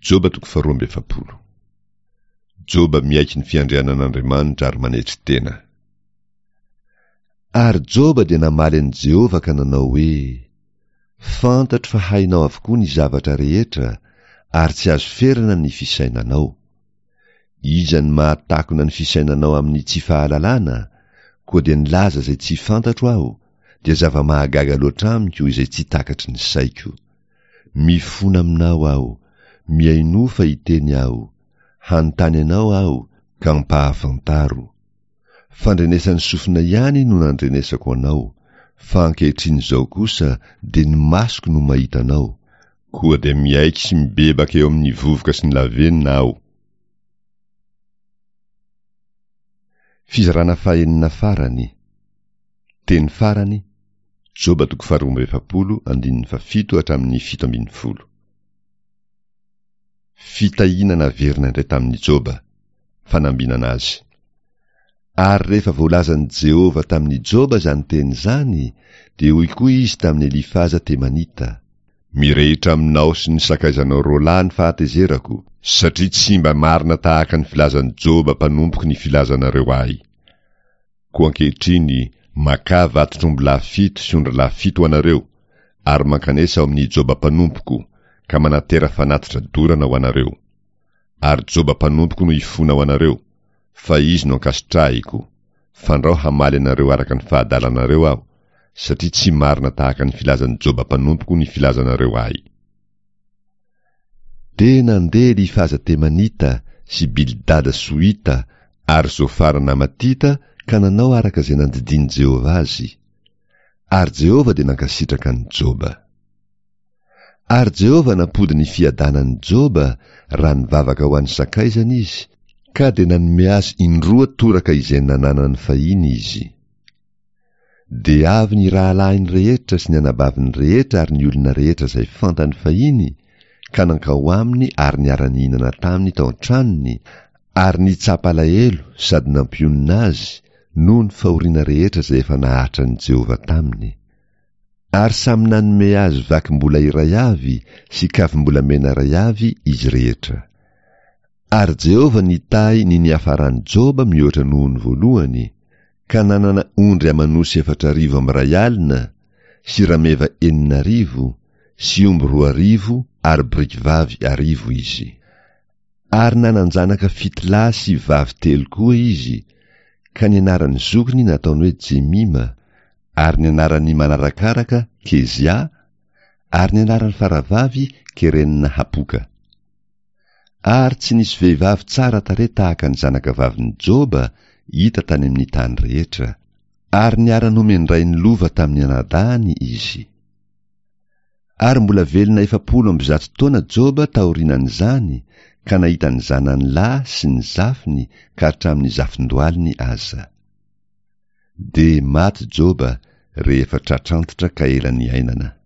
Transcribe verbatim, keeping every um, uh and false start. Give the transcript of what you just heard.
Joba toko faharoa amby efapolo. Joba miaiky ny fiandrianan'Andriamanitra ary manetry tena. Ary Joba dia namaly an'i Jehovah ka nanao hoe, Fantatro fa hainao avokoa ny zavatra rehetra, ary tsy azo ferana ny fisainanao. Iza no mahatakona ny fisainanao amin'ny tsy fahalalana? Koa dia nilaza izay tsy fantatro aho, dia zava-mahagaga loatra amiko izay tsy takatry ny saiko. Mifona aminao aho, mihainoa fa hiteny aho. Hanontany anao aho, ka ampahafantaro. Fandrenesan'ny sofina ihany no nandrenesako anao, fa ankehitriny izao kosa dia ny masoko no mahita anao, koa dia miaiky sy mibebaka eo amin'ny vovoka sy ny lavenona aho. Fizarana fahenina farany. Teny farany, Joba toko faharoa amby efapolo andininy fahafito hatramin'ny fito ambin'ny folo. Fitahiana naverina indray tamin'i Joba, fanambinana azy. Ary rehefa voalazan'i Jehovah tamin'i Joba izany teny izany, dia hoy koa izy tamin'i Elifaza Temanita, Mirehitra aminao sy ny sakaizanao roa lahy ny fahatezerako, satria tsy mba marina tahaka ny filazan'i Joba mpanompoko ny filazanareo ahy. Koa ankehitriny, makà vatotr'ombilahy fito sy ondralahy fito ho anareo, ary mankanesa ao amin'i Joba mpanompoko, ka manatera fanatitra dorana ho anareo. Ary Joba mpanompoko no hifona ho anareo, fa izy no ankasitrahiko, fandrao hamaly anareo araka ny fahadalanareo aho, satria tsy marina tahaka ny filazan'i Joba mpanompoko ny filazanareo ahy. Dia nandeha Elifaza Temanita sy Bildada Sohita ary Zofara Namatita ka nanao araka izay nandidian'i Jehovah azy. Ary Jehovah dia nankasitraka an'i Joba. Ary Jehovah nampody ny fiadanan'i Joba raha nivavaka ho an'ny sakaizany izy, ka dia nanome azy indroa toraka izay nananany fahiny izy. Dia avy ny rahalahiny rehetra sy ny anabaviny rehetra ary ny olona rehetra izay fantany fahiny, ka nankao aminy ary niara-nihinana taminy tao an-tranony, ary nitsapa alahelo sady nampionona azy noho ny fahoriana rehetra izay efa nahatran'i Jehovah taminy. Ary samy nanome azy vakim-bola iray avy sy kavim-bolamena iray avy izy rehetra. Ary Jehovah nitahy ny niafaran'i Joba mihoatra noho ny voalohany, ka nanana ondry aman'osy efatra arivo amby iray alina, sy rameva enina arivo, sy omby roa arivo ary biriky vavy arivo izy. Ary nanan-janaka fito lahy sy vavy telo koa izy, ka ny anaran'ny zokiny nataony hoe Jemima, ary ny anaran'ny manarakaraka Kezia, ary ny anaran'ny faravavy Kerenina Hapoka. Ary tsy nisy vehivavy tsara tarehy tahaka ny zanakavavin'i Joba hita tany amin'ny tany rehetra. Ary niara-nomen-drainy lova tamin'ny anadahiny izy. Ary mbola velona efapolo amby zato taona Joba taorianan'izany, ka nahita ny zanany lahy sy ny zafiny ka hatramin'ny zafin-dohaliny aza. Dia maty Joba rehefa tratrantitra ka ela niainana.